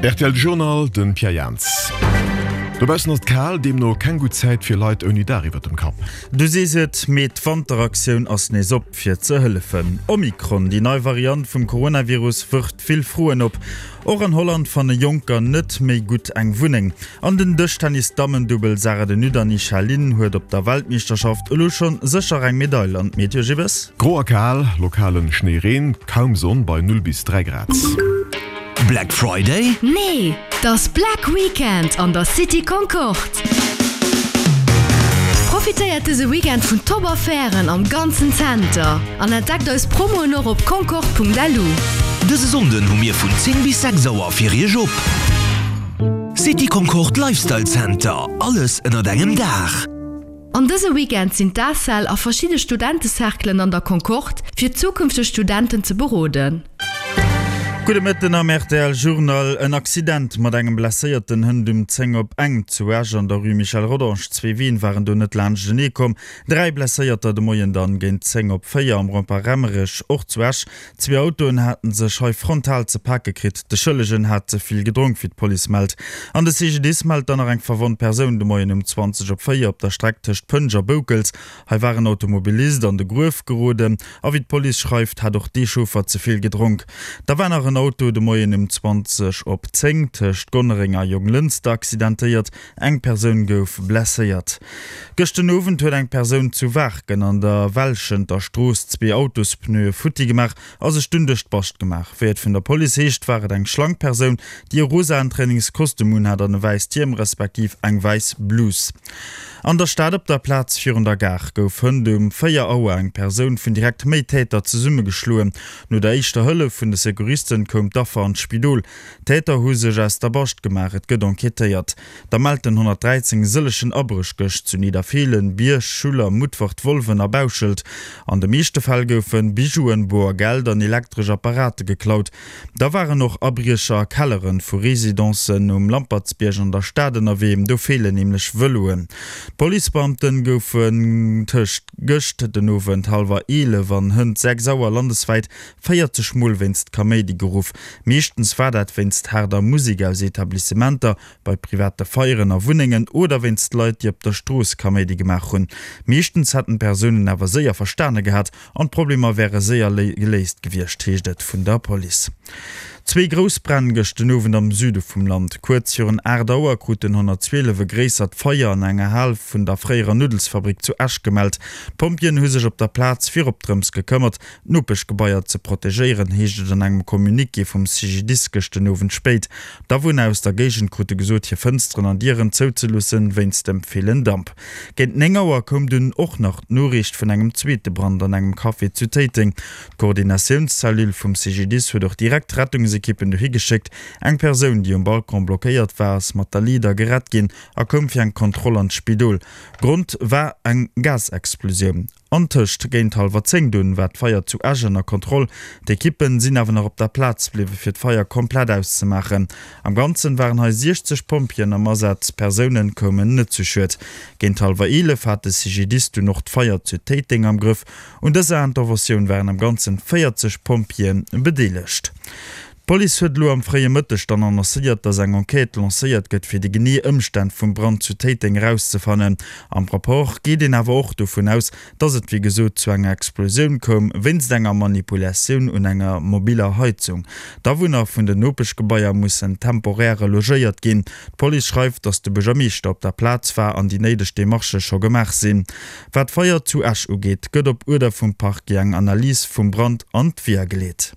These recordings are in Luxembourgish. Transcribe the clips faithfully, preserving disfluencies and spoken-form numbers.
Rtl Journal, den Pierre Jans. Dobaussen ass et kal, deemno keng gutt Zäit fir Leit ouni Daach iwwert dem Kapp. Du sees et, mee d'Wanteraktioun ass nees op fir ze hëllefen. Omikron, déi nei Variant vum Coronavirus, wërft vill Froen op. Och an Holland fanne Jonker net méi gutt eng Wunneng. An den Dëschtennis-Dammendubbel Sarah de Nutte an Isha Lin huet op der Weltmeeschterschaft elo schonn sécher eng Medail. An d'Meteo Gibbes? Gro a kal, lokalen Schnéireen, kaum Sonn bei null bis dräi Grad. Black Friday? Nee, t'ass Black Weekend an der City Concorde! Profitéiert dëse Weekend vun top Affären am ganzen Zenter an entdeckt eis Promoen och op concorde.lu. Dëse Sonnden hu mir vun zéng bis sechs Auer fir Iech op. City Concorde Lifestyle Center, alles ënnert engem Daach! An dëse Weekend sinn d'ACEL a verschidde Studentecerclen an der Concorde, fir zukünfteg Studenten ze beroden. Gudde Mëtten am rtl Journal. En Accident mat engem Blesséierten hënt um zéng op eng zu Esch an der Rue Michel Rodange. Zwee Ween waren do net laanschtenee komm. Dräi Blesséierter de Moien dann géint zéng op véier am Rond-point Remmerech, och zu Esch. Zwee Autoen haten sech hei frontal ze pake kritt. De Schëllegen hat ze vill gedronk, wéi d'Police mellt. An de C G D I S mellt dann nach eng verwonnt Persoun de Moien um zwanzeg op véier op der Streck tëscht Pënsch a Boukels. Hei war en Automobilist an de Gruef geroden a wéi d'Police schreift, hat och dee Chauffer ze vill gedronk. Da war nach en Auto de Moien um zwanzeg op zéng tëscht Gonnereng a Jonglënster accidentéiert. Eng Persoun gouf blesséiert. Gëscht den Owend huet eng Persoun zu Waarken an der Welschenter Strooss zwee Autospneue futti gemaach a sech dunn duerch d'Bascht gemaach. Wéi et vun der Police heescht, war et eng schlank Persoun, déi e rosaen Trainingskostüm unhat an e wäisst Hiem respektiv eng wäiss Blus. An der Stad op der Plaz virun der Gare gouf hënt um véier Auer eng Persoun vun direkt méi Täter zesummegeschloen. No der éischter Hëllef vun de Secouristen koum d'Affer an d'Spidol. D'Täter hu sech aus der Bascht gemaach, et gëtt enquêtéiert. Da mellt den honnertdräizéng e sëllegen Abréch gëscht zu Nidderfeelen, Bierg, Schuller, Mutfert, Wolwen a Bauschelt. An de meeschte Fäll goufe Bijouen, boer Geld an elektresch Apparate geklaut. Da waren och Abriecher a Kellere vu Residencen um Lampertsbierg an der Stad ënnerwee, do feelen nämlech Vëloen. D'Policebeamte goufen tëscht gëscht den Owend hallwer eelef an hënt sechs Auer landeswäit véierzeg Mol wéinst Kaméidi geruff. Meeschtens war dat wéinst haarder Musek aus Etablissementer, bei private Feieren a Wunnengen oder wéinst Leit, déi op der Strooss Kaméidi gemaach hunn. Meeschtens hätten d'Persounen awer séier verstane gehat an d'Problemer wäre séier geléist gewiescht, heescht et vun der Police. Zwee grouss Bränn gëscht den Owend am Süde vum Land. Kuerz virun aacht Auer krut den honnertzwielef e gréissert Feier an enger Hal vun der fréierer Nuddelsfabrik zu Esch gemellt. D'Pompjeeën hu sech op der Plaz virop drëms gekëmmert, d'Nopeschgebaier ze protegéieren, heescht et an engem Communiqué vum C G D I S gëscht den Owend spéit. D'Awunner aus der Géigend krute gesot, hir Fënsteren an Dieren zouzeloossen, wéinst dem villen Damp. Géint néng Auer koum dunn och nach d'Noriicht vun engem zweete Brand an engem Café zu Téiteng. D'Koordinatiounscellule vum C G D I S huet och direkt Rettungsekippen dohi geschéckt. Eng Persoun, déi um Balcon blockéiert war, ass mat der Leeder gerett ginn a koum fir eng Kontroll an d'Spidol. Grond war eng Gasexplosioun. Antëscht géint hallwer zéng dunn war d'Feier zu Esch ënner Kontroll. D'Ekippen sinn awer nach op der Plaz bliwwe fir d'Feier komplett auszemaachen. Am Ganzen waren hei siechzeg Pompjeeën am Asaz, Persounen koumen net zu Schued. Géint hallwer eelef hat de C G D I S dunn och d'Feier zu Téiteng am Grëff. Un dëser Interventioun waren am Ganzen véierzeg Pompjeeë bedeelegt. D'Police huet elo am fréie Mëtteg dann annoncéiert, datt eng Enquête lancéiert gëtt, fir déi genee Ëmstänn vum Brand zu Téiteng erauszefannen. Am Rapport geet een awer och dovun aus, datt et wéi gesot zu enger Explosioun koum, wéinst enger Manipulatioun un enger mobiller Heizung. D'Awunner vun den Nopeschgebaier mussen temporär relogéiert ginn. D'Police schreift, datt de Buergermeeschter op der Plaz war an déi néideg Demarchë scho gemaach sinn. Wat d'Feier zu Esch ugeet, gëtt op Uerder vum Parquet eng Analys vum Brand an d'Weeër geleet.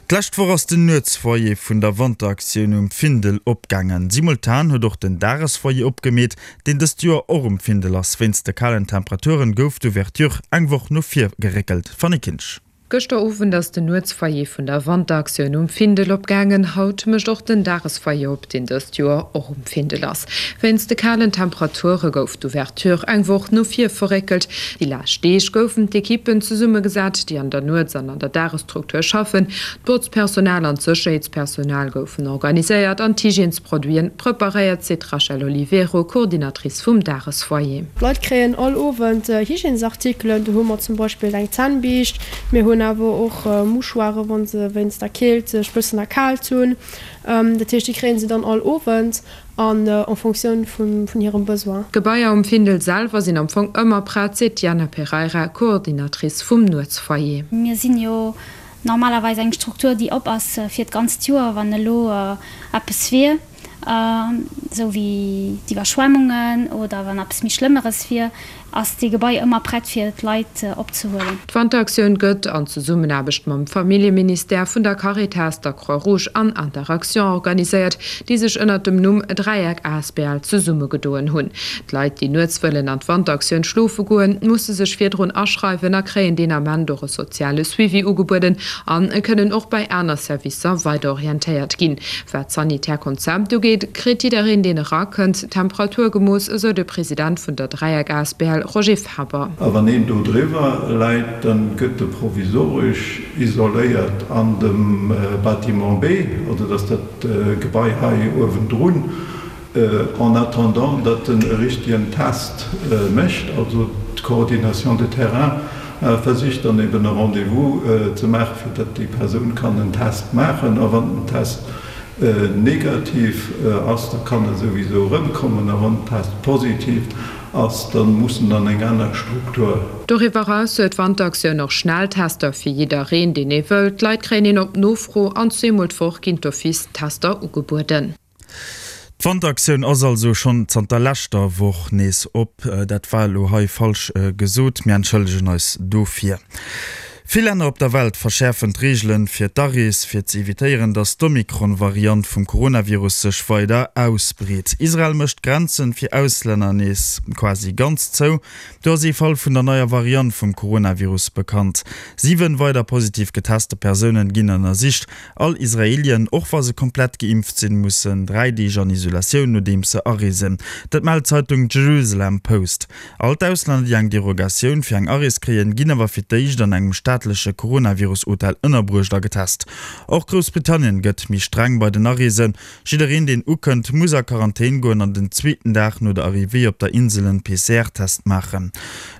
D'lescht Woch ass den Nuetsfoyer vun der Wanteraktioun um Findel opgaangen. Simultan huet och den Dagesfoyer opgemeet, deen dëst Joer och um Findel ass. Wéinst de kalen Temperaturen gouf d'Ouverture eng Woch no vir geréckelt. Fanny Kinsch. Gëschter Owend ass den Nuetsfoyer vun der Wanteraktioun um Findel opgaangen. Haut mécht och den Dagesfoyer op, deen dëst Joer och um Findel ass. Wéinst de kalen Temperature gouf d'Ouverture eng Woch no vir verréckelt. Déi lescht Deeg goufen d'Ekippen zesummegesat, déi an der Nuets an an der Dagesstruktur schaffen. D'Botzpersonal an d'Sécherheetspersonal goufen organiséiert an d'Hygiènesproduiten preparéiert, seet d'Rachel Oliveiro, Coordinatrice vum Dagesfoyer. D'Leit kréien all Owend Hygiènesartikelen. Do hu mer zum Beispill eng Zännbiischt, mir hunn Droen awer och Mouchoiren, wa se wéinst der Keelt sech bëssen erkaalt hunn. Dat heescht, déi kréie se dann all Owend an en Fonctioun vun hirem Besoin. D'Gebaier um Findel selwer sinn am Fong ëmmer prett, seet d'Diana Pereira, Coordinatrice vum Nuetsfoyer. Mir sinn jo normalerweis eng Struktur, déi op ass fir d'ganzt Joer, wann elo eppes wier, esou wéi d'Iwwerschwemmungen oder wann eppes méi Schlëmmeres wier, ass dee Gebai ëmmer prett fir d'Leit opzehuelen. D'Wanteraktioun gëtt an Zesummenaarbecht mam Familljeministère, vun der Caritas, der Croix Rouge an Interaction organiséiert, déi sech ënnert dem Numm Dräieck asbl zesummegedoen hunn. D'Leit, déi nuets wëllen an d'Wanteraktioun schlofe goen, musse sech virdrun aschreiwen a kréien deen Ament och e soziale Suivi ugebueden a kënnen och bei aner Servicer weiderorientéiert ginn. Wat d'sanitär Konzept ugeet, kritt jiddereen, deen erakënnt, d'Temperatur gemooss, esou de President vun der Dräieck asbl Roger Faber. A wann een do driwwer läit, da gëtt e provisoresch isoléiert an dem Bâtiment B, also dat ass dat Gebai hei uewendrun, en attendant, datt en e richtegen Test mécht. Also d'Coordination de terrain versicht dann eben e Rendez-vous ze maachen, fir datt déi Persoun kann en Test maachen. A wann den Test negativ ass, da kann e souwisou erëmkommen. A wann den Test positiv ass, da muss en an eng aner Struktur. Doriwwer eraus huet d'Wanteraktioun och Schnelltester fir jiddereen, deen ee wëllt. D'Leit kréien een op Nofro an zweemol d'Woch ginn d'office Tester ugebueden. D'Wanteraktioun ass also schonn zanter leschter Woch nees op. Dat war elo hei falsch gesot, mir entschëllegen eis dofir. Vill Länner op der Welt verschäerfen d'Reegelen fir d'Arees, fir ze evitéieren, datt d'Omikron-Variant vum Coronavirus sech weider ausbreet. Israel mécht d'Grenzen fir Auslänner nees quasi ganz zou. Do ass ee Fall vun der neier Variant vum Coronavirus bekannt. Siwen weider positiv geteste Persounen ginn ënnersicht. All Israelien, och wa se komplett geimpft sinn, mussen dräi Deeg an Isolatioun, nodeems se areesen. Dat mellt d'Zeitung Jerusalem Post. All d'Auslänner, déi eng Derogatioun fir eng Arees kréien, ginn awer fir d'éischt an engem staatleche Coronavirus-Hotel ënnerbruecht a getest. Och Groussbritannien gëtt méi streng bei den Areesen. Jiddereen, deen ukënnt, muss a Quarantän goen an den zweeten Dag no der Arrivée op der Insel en P C R-Test maachen.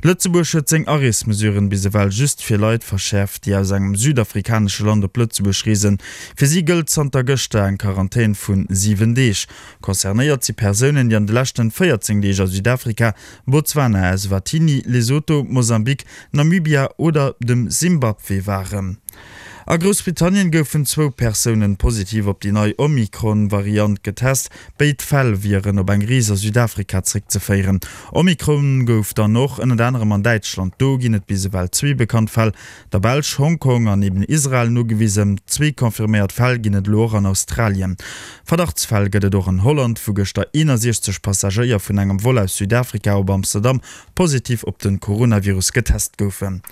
Lëtzebuerg huet seng Areesmesuren bis ewell just fir Leit verschäerft, déi aus engem südafrikanesche Land op Lëtzebuerg reesen. Fir si gëllt zanter gëschter eng Quarantän vu siwen Deeg. Concernéiert si Persounen, déi an de leschten véierzéng Deeg a Südafrika, Botswana, Eswatini, Lesotho, Mosambik, Namibia oder dem Simbabwe waren. A Groussbritannien goufen zwou Persounen positiv op déi nei Omikron-Variant getest. Béid Fäll wieren op eng Rees a Südafrika zréckzeféieren. Omikron gouf dann och ënnert anerem an Däitschland. Do ginn et bis ewell zwee bekannt Fäll, der Belsch, Hongkong an eben Israel nogewisen. Zwee confirméiert Fäll ginn et elo och an Australien. Verdachtsfäll gëtt et och an Holland, wou gëschter eenundsechzeg Passagéier vun engem Vol aus Südafrika op Amsterdam positiv op den Coronavirus getest goufen.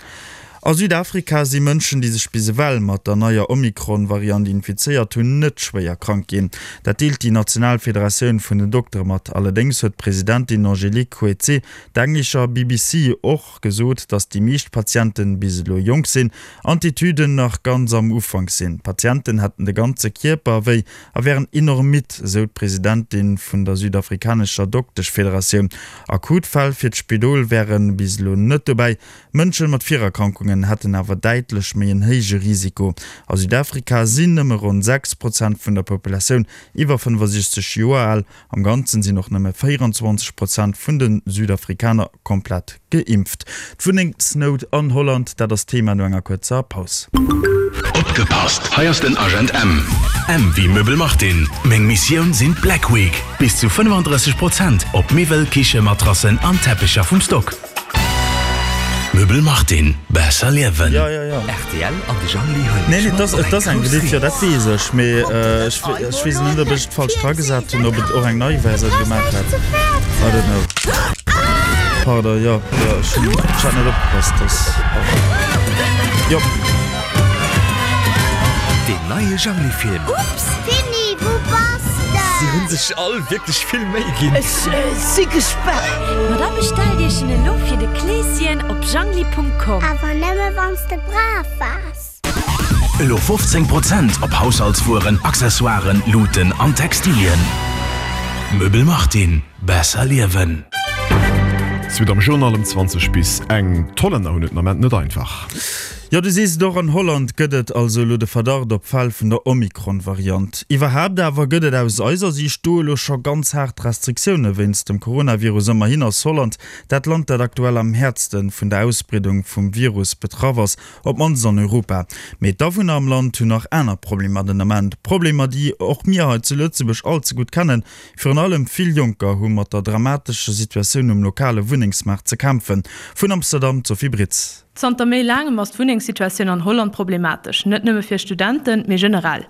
A Südafrika si Mënschen, déi sech bis ewell mat der neier Omikron-Variant infizéiert hunn, net schwéier krank ginn. Dat deelt déi national Federatioun vun den Doktere mat. Allerdéngs huet d'Presidentin Angélique Coetzee der englescher B B C och gesot, datt déi meescht Patienten bis elo jonk sinn an d'Etüden nach ganz am Ufank sinn. D'Patienten hätten de ganze Kierper wéi a wären enorm midd, esou d'Presidentin vun der südafrikanescher Dokteschfederatioun. Akut Fäll fir d'Spidol wären bis elo net dobäi. Mënsche mat Virerkrankungen hätten awer däitlech méi en héije Risiko. A Südafrika sinn nëmme ronn sechs Prozent vun der Populatioun iwwer fënnefosechzeg Joer al. Am Ganzen sinn och nëmme véierundzwanzeg Prozent vun den Südafrikaner komplett geimpft. D'Wunnengsnout an Holland, dat ass Thema no enger kuerzer Paus. Opgepasst, hei ass den Agent M. M wie Möbel Martin. Meng Missioun sinn d'Black Week. Bis zu fënnefundrësseg Prozent op Miwwel, Kiche, Matrassen an Teppicher vum Stock. Möbel Martin, besser liewen. Ja, ja, ja. R T L an de Jangli hunn Nee, nee, das, das ass eng Gelift, jo, dat weess ech. Mee, äh, ech, ech weess net, ob ech et falsch dragesat hunn, ob et och eng nei Versioun gemaach hat. I don't know. Pardon, jo, jo, ech hunn, ech hat net opgepasst, dass, jo. Den neie Jangli-Film. Ups, Finny, wou bass de? Si hunn sech all wierklech vill Méi ginn. Ech si gespaant. Ma da bestellt Iech en elo fir de Kleeschen op jangli punkt com. Awer nëmme wanns de brav waars. Elo fofzéng Prozent op Haushaltswueren, Accessoiren, Luuten an Textilien. Möbel Martin, besser liewen. Suite am Journal um zwanzeg bis eng. D'Hollänner hunn et den Ament net einfach. Jo, du sees et, och an Holland gëtt et also elo de Verdacht op Fäll vun der Omikron-Variant. Iwwerhaapt awer gëtt et aus eiser Siicht do elo scho ganz haart Restriktioune wéinst dem Coronavirus. Ëmmerhin ass Holland dat Land, dat aktuell am häertste vun der Ausbreedung vum Virus betraff ass, op d'mannst an Europa. Mee d'Awunner am Land hunn nach aner Problemer den Ament. Problemer, déi och mir hei zu Lëtzebuerg all ze gutt kennen. Virun allem vill Jonker hu mat der dramatescher Situatioun um lokale Wunnengsmaart ze kämpfen. Vun Amsterdam d'Sophie Britz. Zanter méi laangem ass d'Wunnengssituatioun an Holland problematesch, net nëmme fir Studenten, mee generell.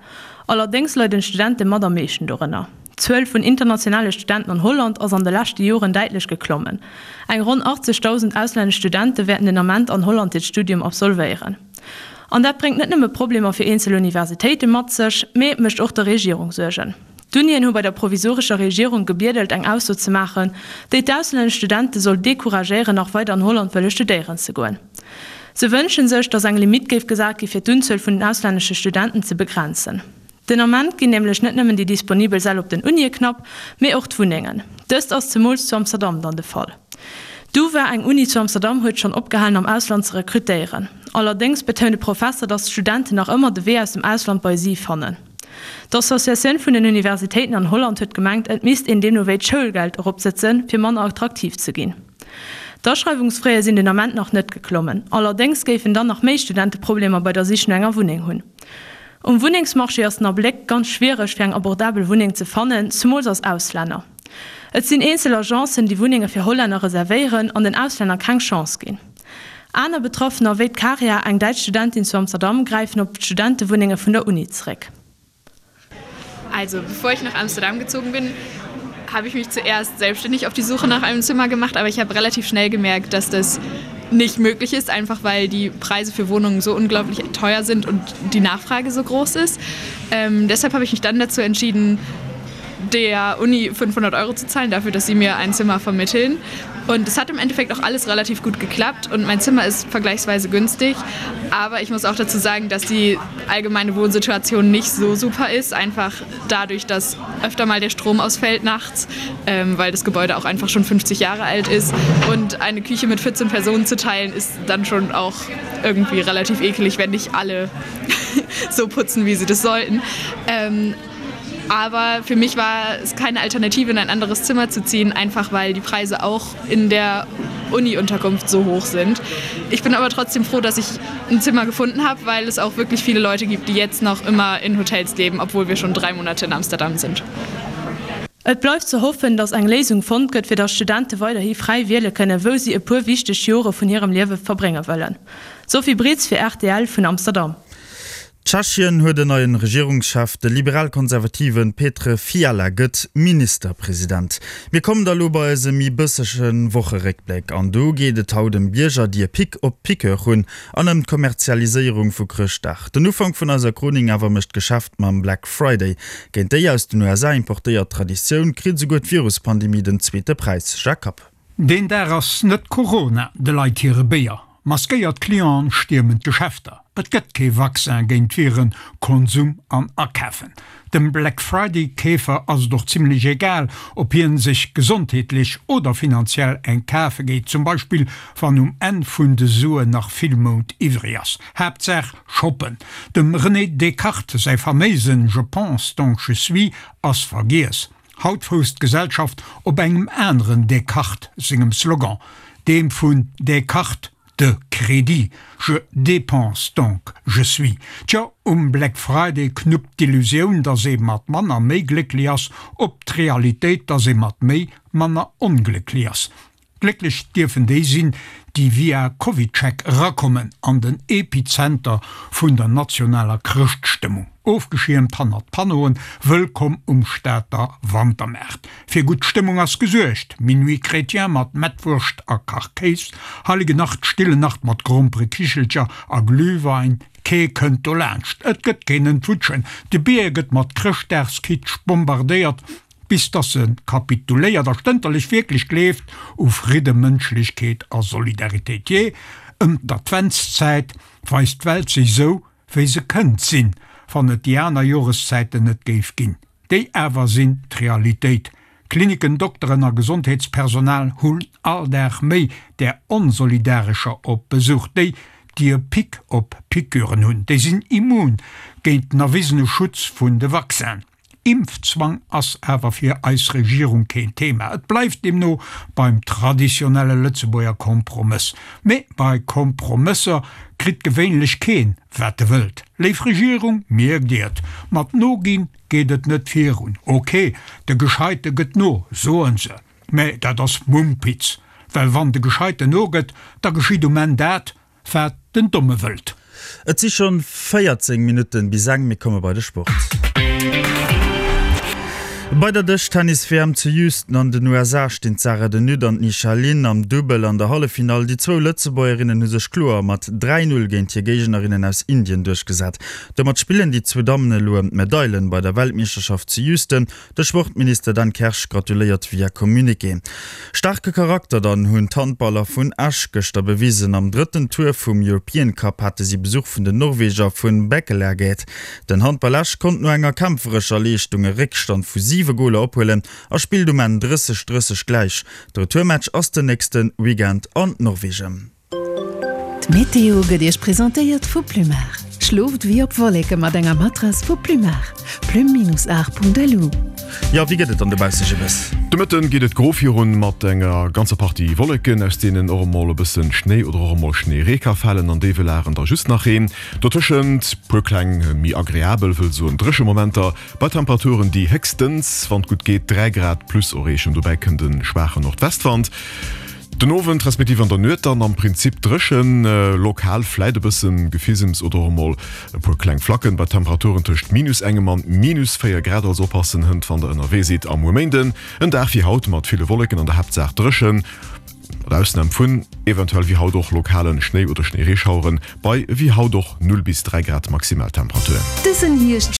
Allerdéngs leiden d'Studente mat am meeschten dorënner. D'Zuel vun internationale Studenten an Holland ass an de leschte Joren däitlech geklommen. Eng ronn achtzegdausend auslännesch Studente wäerten den Ament an Holland hiert Studium absolvéieren. An dat bréngt net nëmme Problemer fir eenzel Universitéite mat sech, mee et mécht och der Regierung Suergen. D'Unien hu bei der provisorescher Regierung gebiedelt eng Ausso ze maachen, déi d'auslännesch Studente soll decouragéieren nach weider an Holland wëlle studéieren ze goen. Se wënsche sech, datt eng Limitt géif gesat gi fir d'Unzuel vun den auslännesche Studenten ze begrenzen. Den Ament ginn nämlech net nëmmen déi disponibel Säll op den Unie knapp, mee och d'Wunnengen. Dëst ass zemools zu Amsterdam dann de Fall. D'UvA, eng Uni zu Amsterdam, huet schonn opgehalen am Ausland ze rekrutéieren. Allerdéngs betount e Professer, datt d'Studenten nach ëmmer de Wee aus dem Ausland bei si fannen. D'Associatioun vun den Universitéiten an Holland huet gemengt, et misst een deemno wéi d'Schoulgeld eropsëtzen, fir manner attraktiv ze ginn. D'Aschreiwungsfraie sinn den Ament nach net geklommen. Allerdéngs géifen dann nach méi Studente Problemer bei der Sich no enger Wunneng hunn. Um Wunnengsmarché ass den Abléck ganz schwiereg fir eng abordabel Wunneng ze fannen, zemools als Auslänner. Et sinn eenzel Agencen, déi Wunnenge fir Hollänner reservéieren an den Auslänner keng Chance ginn. Aner Betraffener, wéi d'Karia, eng däitsch Studentin zu Amsterdam, gräifen op d'Studentewunnenge vun der Uni zeréck. Also bevor ich nach Amsterdam gezogen bin, habe ich mich zuerst selbstständig auf die Suche nach einem Zimmer gemacht, aber ich habe relativ schnell gemerkt, dass das nicht möglich ist, einfach weil die Preise für Wohnungen so unglaublich teuer sind und die Nachfrage so groß ist. Ähm, deshalb habe ich mich dann dazu entschieden, der Uni fünfhundert Euro zu zahlen, dafür, dass sie mir ein Zimmer vermitteln. Und es hat im Endeffekt auch alles relativ gut geklappt und mein Zimmer ist vergleichsweise günstig. Aber ich muss auch dazu sagen, dass die allgemeine Wohnsituation nicht so super ist, einfach dadurch, dass öfter mal der Strom ausfällt nachts, ähm, weil das Gebäude auch einfach schon fünfzig Jahre alt ist. Und eine Küche mit vierzehn Personen zu teilen, ist dann schon auch irgendwie relativ ekelig, wenn nicht alle so putzen, wie sie das sollten. Ähm, aber für mich war es keine Alternative, in ein anderes Zimmer zu ziehen, einfach weil die Preise auch in der Uni-Unterkunft so hoch sind. Ich bin aber trotzdem froh, dass ich ein Zimmer gefunden habe, weil es auch wirklich viele Leute gibt, die jetzt noch immer in Hotels leben, obwohl wir schon drei Monate in Amsterdam sind. Et bleift ze hoffen, datt eng Léisung fonnt gëtt, fir datt Studente weiderhi fräi wiele kënnen, wou si e puer wichteg Jore vun hirem Liewe verbrénge wëllen. Sophie Britz fir rtl vun Amsterdam. Tschechien huet en neien Regierungschef, de liberal-konservative Petr Fiala gëtt Ministerpresident. Mir kommen da lo bei eise méi bëssege Wocheréckbléck an do geet et haut ëm Bierger, déi e Pic op Piqueur hunn an ëm d'Kommerzialiséierung vu Chrëschtdag. Den Ufank vun eiser Chronik awer mécht d'Geschäft mam Black Friday. Géint déi aus den U S A importéiert Traditioun kritt esouguer d'Viruspandemie den zweete Präis. Jacques Kapp. Deen Dag ass net Corona de Leit hire Béier. Maskéiert Clienten stiermen d'Geschäfter. Et gëtt kee Vaccin géint d'Viren Konsum an Akafen. Dem Black Friday Keefer ass et och zimlech egal, ob hien sech gesondheetlech oder finanziell eng kafe geet, zum Beispill wann um Enn vun de Suen nach vill Mount iwwreg ass. Haaptsaach shoppen. Dem René Descartes säi faméisen Je pense donc je suis ass vergiess. Haut fousst d'Gesellschaft op engem aneren Descartes sengem Slogan, deem vun Descartes de Crédit. Je dépense donc je suis. Tjo, um Black Friday knuppt d'Illusioun, dass ee mat manner méi glécklech ass, op d'Realitéit, dass ee mat méi manner onglécklech ass. Glécklech dierfen déi sinn, déi via CovidCheck erakommen an den Epizenter vun der nationaler Chrëschtstëmmung. Ofgeschiermt hannert Panneauen, wëllkomm um Stater Wantermaart. Fir gutt Stëmmung ass gesuergt, Minuit chrétien mat Mettwurscht a Kachkéis, Heilige Nacht, Stille Nacht mat Gromperekichelcher a Glühwein, kee kënnt dolaanscht, et gëtt keen Entwutschen, de Bier gëtt mat Chrëschtdagskitsch bombardéiert, bis dass se kapituléiert a stënterlech wierklech gleeft u Fridde, Mënschlechkeet a Solidaritéit. Jee, ëm d'Adventszäit weist d'Welt sech sou, wéi se kënnt sinn, wann et déi aner Joreszäiten net géif ginn. Déi awer sinn d'Realitéit. Kliniken, Dokteren a Gesondheetspersonal hunn all Dag méi där Onsolidarescher op Besuch, déi, déi e Pic op Piqûren hunn. Déi sinn immun géint den erwisene Schutz vun de Vaccinen. Impfzwang ass awer fir eis Regierung keen Thema. Et bleift deemno beim traditionelle Lëtzebuerger Kompromëss. Mee bei Kompromësser kritt gewéinlech keen, wat e wëllt. Léif Regierung, mierkt Dir et, mat Noginn geet et net virun. Ok, de Gescheite gëtt no, soen se. Mä dat ass Mumpitz, well wann de Gescheiten nogëtt, da geschitt um Enn dat, wat den Domme wëllt. Et si schonn véierzéng Minutten bis eng, mir komme bei de Sport. Bei der Dëschtennis-W M zu Houston an den U S A stinn d'Sarah De Nutte an d'Nisha Lin am Dubbel an der Halleffinall. Déi zwou Lëtzebuergerinnen hu sech kloer mat dräi Null géint hir Géignerinnen aus Indien duerchgesat. Domat spillen déi zwou Dammen elo ëm d'Medailen bei der Weltmeeschterschaft zu Houston. De Sportminister Dan Kersch gratuléiert via Communiqué. Staarke Charakter dann hunn d'Handballer vun Esch gëschter bewisen. Am drëtten Tour vum European Cup hate si Besuch vun den Norweger vun Bekkelaget. Den Handball Esch konnt no enger kämpferescher Leeschtung e Réckstand vu siwe Goler ophuelen a spillt um Enn drësseg drësseg gläich. De Retourmatch ass den nächste Weekend an Norwegen. D'Meteo gëtt Iech presentéiert vu Plumar. Schlooft wéi op Wolleke mat enger Matrass vu Plumar. Plume-art.lu. Jo, wéi gëtt et dann dobausse, Jibbes? De Mëtten geet et gro virun, mat enger ganzer Partie Wolleken, aus deenen och emol e bëssen Schnéi oder och emol Schnéiree ka falen, an déiwe Lagen da just nach Reen. Dotëschent puer kleng, méi agreabel, wëll soen dréche Momenter, bei Temperaturen, déi héchstens, wann et gutt geet, dräi Grad plus erreechen. Dobäi kënnt e schwaache Nordwestwand. Den Owend respektiv an der Nuet dann am Prinzip dréchen, lokal vläit e bësse Gefisems oder och emol e puer kleng Flacken, bei Temperaturen tëscht minus engem an minus véier Grad. Also oppassen hënt, wann der ënnerwee sidd. A muer Méinden en Dag wéi haut mat ville Wolleken, an der Haaptsaach dréchen, mat Ausnam vun eventuell wéi haut och lokalen Schnéi oder Schnéireeschaueren, bei wéi haut och null bis dräi Grad Maximaltemperatur. Dësen Hierscht.